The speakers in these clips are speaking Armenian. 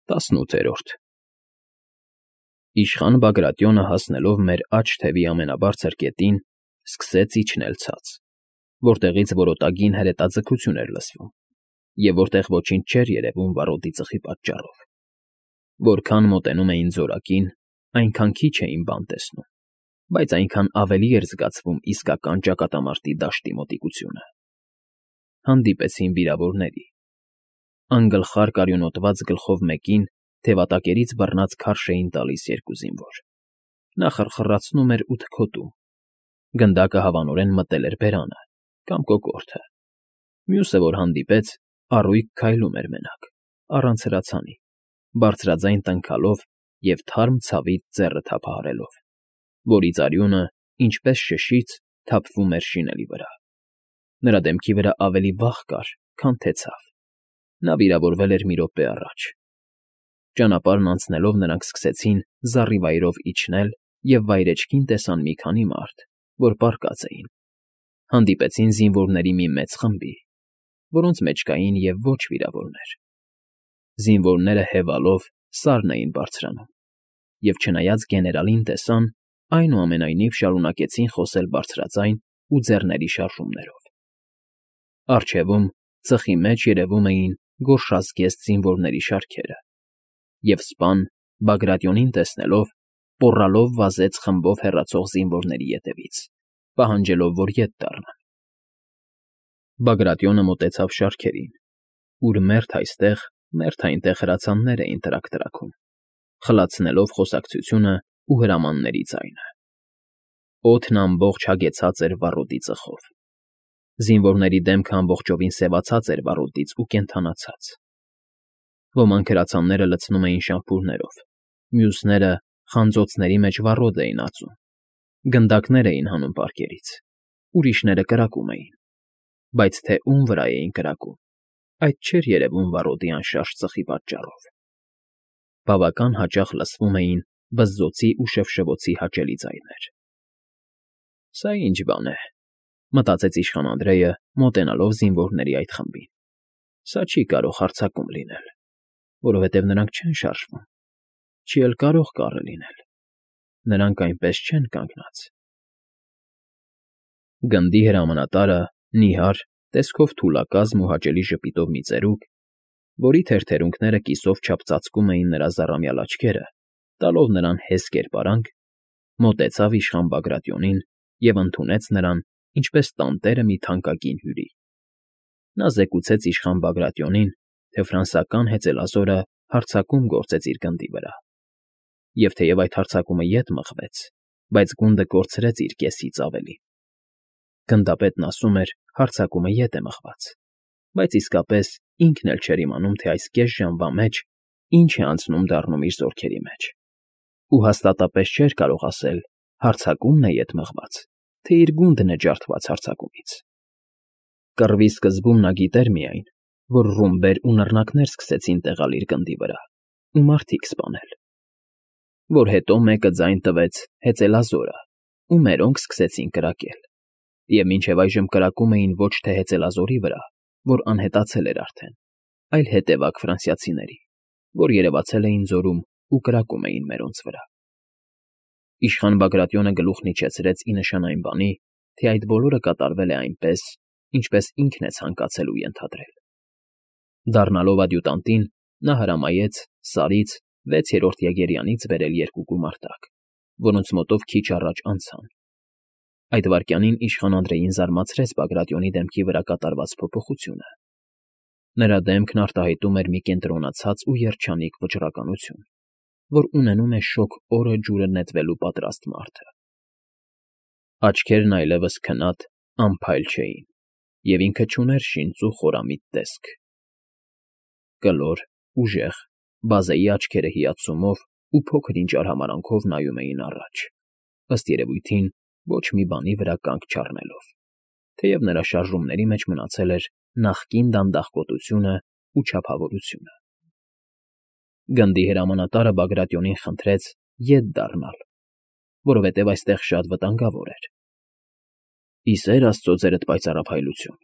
18 Իշխան Բագրատյոնը հասնելով մեր աջ թևի ամենաբարձր կետին, սկսեց իջնել ցած, որտեղից որոտագին հրետաձգություն էր լսվում, և որտեղ ոչինչ չէր երևում վառոդի ծխի պատճառով. որքան մոտենում էին զորակին, այնքան քիչ էին բան տեսնում, բայց այնքան ավելի էր զգացվում իսկական ճակատամարտի դաշտի մոտիկությունը. հանդիպեցին վիրավորների. անգլխար կարյունոտված գլխով մեկին թևատակերից բռնած քարշ էին տալիս երկու զինվոր. նա խռխռացնում էր ու թքոտում. գնդակը հավանորեն մտել էր բերանը կամ կոկորդը. մյուսը, որ հանդիպեց, առույգ քայլում էր մենակ, առանց հրացանի, բարձրաձայն տնքալով և թարմ ցավից ձեռը թափահարելով, որից արյունը, ինչպես շշից, թափվում էր շինելի վրա. նրա դեմքի վրա ավելի վախ կար, քան թե ցավ. նա վիրավորվել էր մի րոպե առաջ. ճանապարհն անցնելով նրանք սկսեցին զառիվայրով իջնել և վայրէջքին տեսան մի քանի մարդ, որ պառկած էին. հանդիպեցին զինվորների մի մեծ խմբի, որոնց մեջ կային և ոչ վիրավորներ. զինվորները հևալով սարն էին բարձրանում, և չնայած գեներալին տեսան, այնուամենայնիվ շարունակեցին խոսել բարձրաձայն ու ձեռների շարժումներով. առջևում ծխի մեջ երևում էին գորշազգեստ զինվորների շարքերը, և սպան Բագրատյոնին տեսնելով, պոռալով վազեց խմբով հեռացող զինվորների ետևից, պահանջելով, որ ետ դառնան. Բագրատյոնը մոտեցավ շարքերին, ուր մերթ այստեղ, մերթ այնտեղ հրացաններ էին տրակ֊տրաքում, խլացնելով խոսակցությունն ու հրամանների ձայնը. օդն ամբողջ հագեցած էր վառոդի ծխով. զինվորների դեմքը ամբողջովին սևացած էր վառոդից ու կենդանացած. ոմանք հրացանները լցնում էին շամփուրներով, մյուսները խանձոցների մեջ վառոդ էին ածում, գնդակներ էին հանում պարկերից, ուրիշները կրակում էին, բայց թե ում վրա էին կրակում, այդ չէր երևում վառոդի անշարժ ծխի պատճառով. բավական հաճախ լսվում էին բզզոցի ու շվշվոցի հաճելի ձայներ. «Սա ի՞նչ բան է», մտածեց իշխան Անդրեյը, մոտենալով զինվորների այդ խմբին. «Սա չի կարող հարձակում լինել, որովհետև նրանք չեն շարժվում, չի էլ կարող կռը լինել, նրանք այնպես չեն կանգնած»։ Գնդի հրամանատարը, նիհար, տեսքով թուլակազմ ու հաճելի ժպիտով մի ծերուկ, որի թերթերունքները կիսով չափ ծածկում էին նրա զառամյալ աչքերը, տալով նրան հես կերպարանք, մոտեցավ իշխան Բագրատյոնին և ընդունեց նրան, ինչպես տանտերը մի թանկագին հյուրի. նա զեկուցեց իշխան Բագրատյոնին, թե ֆրանսիական հեծելազորը հարձակում գործեց իր գնդի վրա, և թեև այդ հարձակումը ետ մղվեց, բայց գունդը կորցրեց իր կեսից ավելին. գնդապետն ասում էր, հարձակումը ետ է մղված, բայց իսկապես ինքն էլ չէր իմանում, թե այս կես ժամվա մեջ ինչ է անցնում֊դառնում իր զորքերի մեջ, ու հաստատապես չէր կարող ասել, հարձակումն է ետ մղված, թե իր գունդն է ջարդված հարձակումից. կռվի սկզբում նա գիտեր միայն, որ ռումբեր ու նռնակներ սկսեցին տեղալ իր գնդի վրա ու մարդիկ սպանել, որ հետո մեկը ձայն տվեց հեծելազորը, ու մերոնք սկսեցին կրակել, և մինչև այժմ կրակում էին ոչ թե հեծելազորի վրա, որ անհետացել էր արդեն, այլ հետևակ ֆրանսիացիների, որ երևացել էին ձորում ու կրակում էին մերոնց վրա։ Իշխան Բագրատյոնը գլուխն իջեցրեց ի նշան այն բանի, թե այդ բոլորը կատարվել է այնպես, ինչպես ինքն է ցանկացել ու ենթադրել։ Դառնալով ադյուտանտին, նա հրամայեց Սարից 6-րդ եղերյանից բերել երկու գումարտակ, որոնց մոտով քիչ առաջ անցան. այդ վայրկյանին իշխան Անդրեյին զարմացրեց Բագրատյոնի դեմքի վրա կատարված փոփոխությունը. նրա դեմքն արտահայտում էր մի կենտրոնացած ու երջանիկ վճռականություն, որ ունենում է շոգ օրը ջուրը նետվելու պատրաստ մարդը. աչքերն այլևս քնած, անփայլ չէին, և ինքը չուներ շինծու խորամիտ տեսք. կլոր, ուժեղ, բազեի աչքերը հիացումով ու փոքր֊ինչ արհամարհանքով նայում էին առաջ, ըստ երևույթին ոչ մի բանի վրա կանգ չառնելով, թեև նրա շարժումների մեջ մնացել էր նախկին դանդաղկոտությունն ու չափավորությունը։ Գնդի հրամանատարը Բագրատյոնին խնդրեց ետ դառնալ, որովհետև այստեղ շատ վտանգավոր էր։ «Ի սեր աստծո ձերդ պայծառափայլություն»,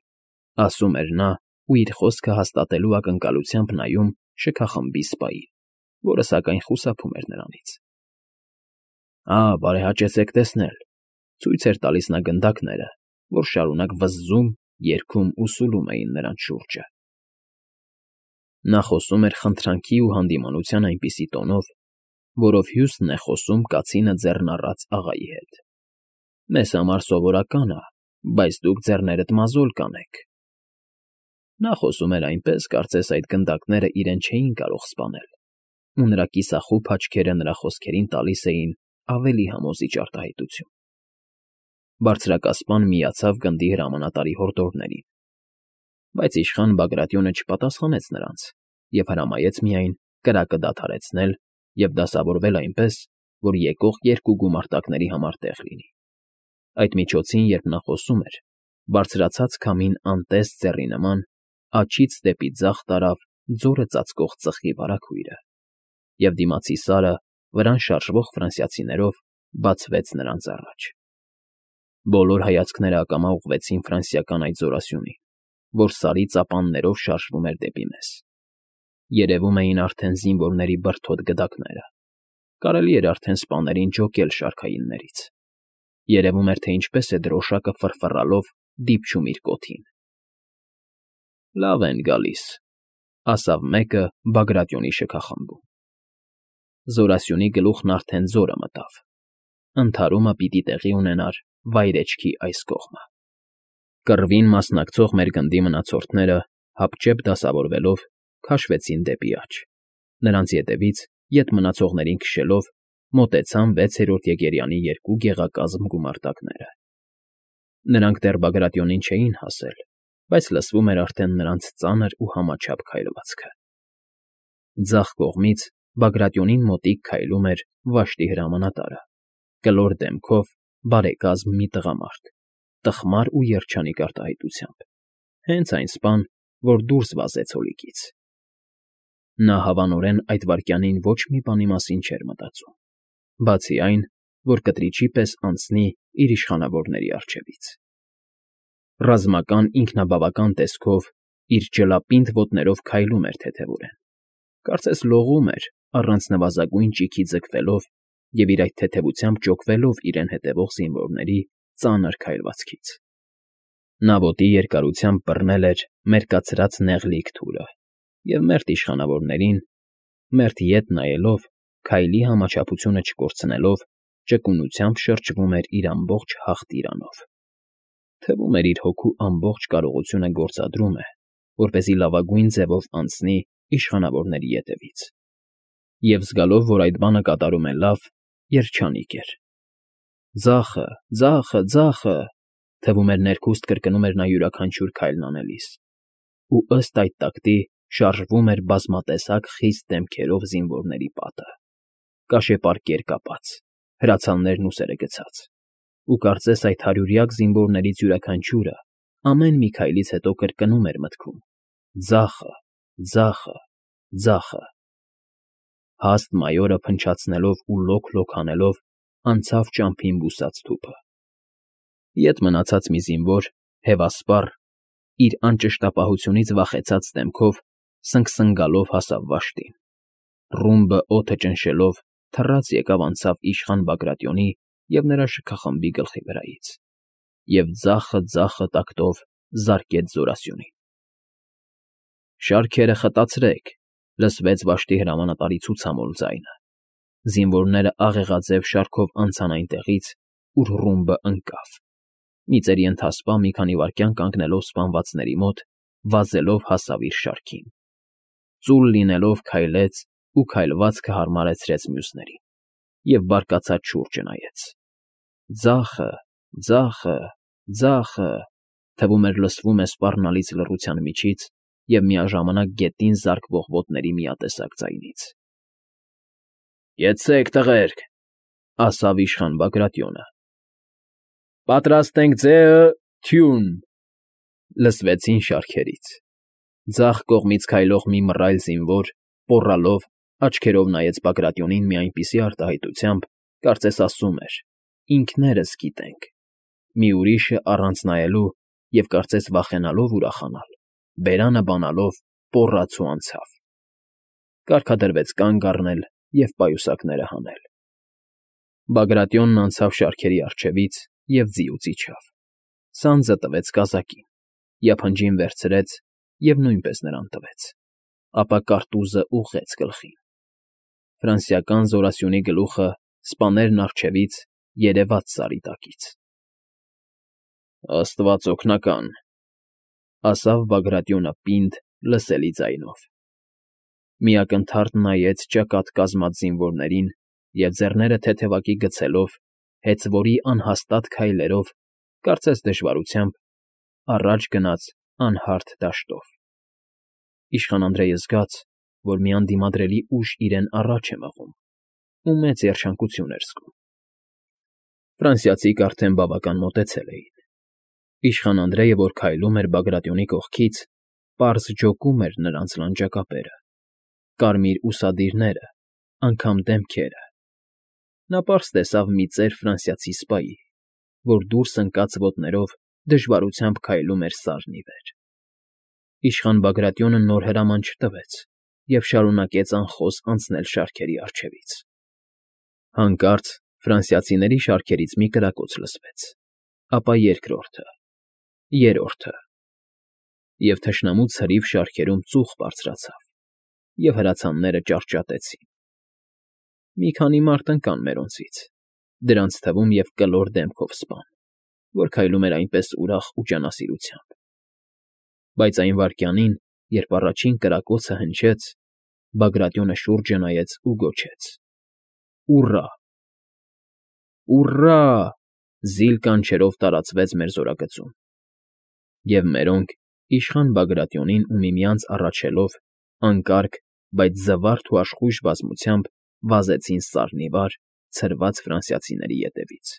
ասում էր նա ու իր խոսքը հաստատելու ակնկալությամբ նայում շքախմբի սպային։ որը սակայն խուսափում էր նրանից։ Բարեհաճեցեք տեսնել,֊ ցույց էր տալիս նա գնդակները, որ շարունակ վզզում, երգում ու սուլում էին նրանց շուրջը։ Նա խոսում էր խնդրանքի ու հանդիմանության այնպիսի տոնով, որով հյուսն է խոսում կացինը ձեռն առած աղայի հետ։ «Մեզ համար սովորական է, բայց դուք ձեռներդ մազոլ կանեք»։ Նա խոսում էր այնպես, կարծես այդ գնդակները իրեն չէին կարող սպանել, ու նրա կիսախուփ աչքերը նրա խոսքերին տալիս էին ավելի համոզիչ արտահայտություն։ Բարձրակասպան միացավ գնդի հրամանատարի հորդորներին, բայց իշխան Բագրատյոնը չպատասխանեց նրանց և հրամայեց միայն կրակը դադարեցնել և դասավորվել այնպես, որ եկող երկու գումարտակների համար տեղ լինի։ Այդ միջոցին, երբ նա խոսում էր, բարձրացած քամին անտեստ ձեռի նման աջից դեպի ձախ տարավ ձորը ծածկող ծխի վարագույրը, և դիմացի սարը վրան շարժվող ֆրանսիացիներով բացվեց նրանց առաջ։ Բոլոր հայացքները ակամա ուղղվեցին ֆրանսիական այդ զորասյունին, որ սարի ծապաններով շարժվում էր դեպի մեզ։ Երևում էին արդեն զինվորների բրդոտ գդակները։ Կարելի էր արդեն սպաներին ջոկել շարքայիններից։ Երևում էր, թե ինչպես է դրոշակը ֆռֆռալով դիպչում իր կոթին։ «Լավ են գալիս», ասավ մեկը Բագրատյոնի շքախմբում։ Զորասյունի գլուխն արդեն ձորը մտավ։ Ընդհարումը պիտի տեղի ունենար վայրէջքի այս կողմը։ Կռվին մասնակցող մեր գնդի մնացորդները, հապճեպ դասավորվելով, քաշվեցին դեպի աջ։ Նրանց ետևից, ետ մնացողներին քշելով, մոտեցան 6-րդ եկերյանի երկու գեղակազմ գումարտակները։ Նրանք դեռ Բագրատյոնին չէին հասել, բայց լսվում էր արդեն նրանց ծանր ու համաչափ քայլվածքը։ Ձախ կողմից Բագրատյոնին մոտիկ քայլում էր Վաշտի հրամանատարը, կլոր դեմքով, բարեկազմ մի տղամարդ, տխմար ու երջանիկ արտահայտությամբ, հենց այն սպան, որ դուրս վազեց հոլիկից։ Նա հավանորեն այդ վայրկյանին ոչ մի բանի մասին չէր մտածում, բացի այն, որ կտրիչի պես անցնի իր իշխանավորների առջևից։ Ռազմական ինքնաբավական տեսքով իր ջլապինդ ոտներով քայլում էր թեթևորեն, կարծես լողում էր, առանց նվազագույն ճիգի ձգվելով և իր այդ թեթևությամբ ջոկվելով իրեն հետևող զինվորների ծանր քայլվածքից։ Նա ոտի երկարությամբ բռնել էր մերկացրած նեղլիկ թուրը և մերթ իշխանավորներին, մերթ ետ նայելով, քայլի համաչափությունը չկորցնելով, ճկունությամբ շրջվում էր իր ամբողջ հաղթիրանով։ Թվում էր իր հոգու ամբողջ կարողությունը գործադրում է, որպեսզի լավագույն ձևով անցնի իշխանավորների ետևից։ Եվ զգալով, որ այդ բանը կատարում է լավ, երջանիկ էր։ «Ձախը, ձախը, ձախը», թվում էր ներքուստ կրկնում էր նա յուրաքանչյուր քայլն անելիս, ու ըստ այդ տակտի շարժվում էր բազմատեսակ խիստ դեմքերով զինվորների պատը, կաշեպարկեր կապած, հրացաններն ուսերը գցած, ու կարծես այդ հարյուրյակ զինվորներից յուրաքանչյուրը ամեն մի քայլից հետո կրկնում էր մտքում. «Ձախը, ձախը, ձախը»։ Հաստ մայորը փնչացնելով ու լոկ-լոկ հանելով անցավ ճամփին բուսած թուփը։ Ետ մնացած մի զինվոր, հևասպառ, իր անճշտապահությունից վախեցած դեմքով սնգսնգալով հասավ Վաշտին։ Ռումբը օդը ճնշելով թռած եկավ անցավ իշխան Բագրատյոնի և նրա շքախմբի գլխի վրայից և ձախը տակտով զարկեց զորասյունին։ «Շարքերը խտացրեք», լսվեց Վաշտի հրամանատարի ցուցամոլ ձայնը։ Զինվորները աղեղաձև շարքով անցան այնտեղից, ուր ռումբը ընկավ։ Մի ծերի ընթասպա մի քանի վայրկյան կանգնելով սպանվածների մոտ, վազելով հասավ իր շարքին։ Ծուլ լինելով քայլեց ու քայլվածքը հարմարեցրեց մյուսներին և բարկացած շուրջը նայեց։ «Ձախը, ձախը, ձախը», թվում էր լսվում է սպառնալից լռության միջից և միաժամանակ գետին զարկվող ոտների միատեսակ ձայնից։ «Կեցցեք, տղերք», ասավ իշխան Բագրատյոնը։ «Պատրաստենք ձեը, թյուն», լսվեցին շարքերից։ Ձախ կողմից քայլող մի մռայլ զինվոր, պոռալով, աչքերով նայեց Բագրատյոնին մի այնպիսի արտահայտությամբ, կարծես ասում էր. «Ինքներս գիտենք»։ Մի ուրիշը առանց նայելու և կարծես վախենալով ուրախանալ, բերանը բանալով պոռաց ու անցավ։ կարգադրվեց կանգ առնել և պայուսակները հանել։ Բագրատյոնն անցավ շարքերի առջևից և ձիուց իջավ, սանձը տվեց կազակին, յափնջին վերցրեց և նույնպես նրան տվեց, ապա կարտուզը ուղղեց գլխին։ Ֆրանսիական զորասյունի գլուխը սպաներն առջևից երևաց սարի տակից։ «Աստված օգնական,֊ ասավ Բագրատյոնը պինդ, լսելի ձայնով։ Մի ակնթարթ նայեց ճակատ կազմած զինվորներին և ձեռները թեթևակի գցելով, հեծվորի անհաստատ քայլերով, կարծես դժվարությամբ, առաջ գնաց անհարթ դաշտով։ Իշխան Անդրեյը զգաց, որ մի անդիմադրելի ուժ իրեն առաջ է մղում ու մեծ երջանկություն էր զգում։ Ֆրանսիացիք արդեն բավական մոտեցել էին։ Իշխան Անդրեյը, որ քայլում էր Բագրատյոնի կողքից, պարզ ջոկում էր նրանց լանջակապերը, կարմիր ուսադիրները, անգամ դեմքերը։ Նա պարզ տեսավ մի ծեր ֆրանսիացի սպայի, որ դուրս ընկած ոտներով դժվարությամբ քայլում էր սարն ի վեր։ Իշխան Բագրատյոնը նոր հրաման չտվեց և շարունակեց անխոս անցնել շարքերի առջևից։ Հանկարծ ֆրանսիացիների շարքերից մի կրակոց լսվեց, ապա երկրորդը, երրորդը, և թշնամու ցրիվ շարքերում ծուխ բարձրացավ, և հրացանները ճարճատեցին։ Մի քանի մարդ ընկան մերոնցից, դրանց թվում և կլոր դեմքով սպան, որ քայլում էր այնպես ուրախ ու ջանասիրությամբ։ Բայց այն վայրկյանին, երբ առաջին կրակոցը հնչեց, Բագրատյոնը շուրջը նայեց ու գոչեց. «Ուռա»։ «Ուռա»… զիլ կանչերով տարածվեց մեր զորագծում։ Եվ մերոնք, իշխան Բագրատյոնին ու միմյանց առաջելով, հանկարկ, բայց զվարթ ու աշխույժ բազմությամբ վազեցին սարն ի վար ցրված ֆրանսիացիների ետևից։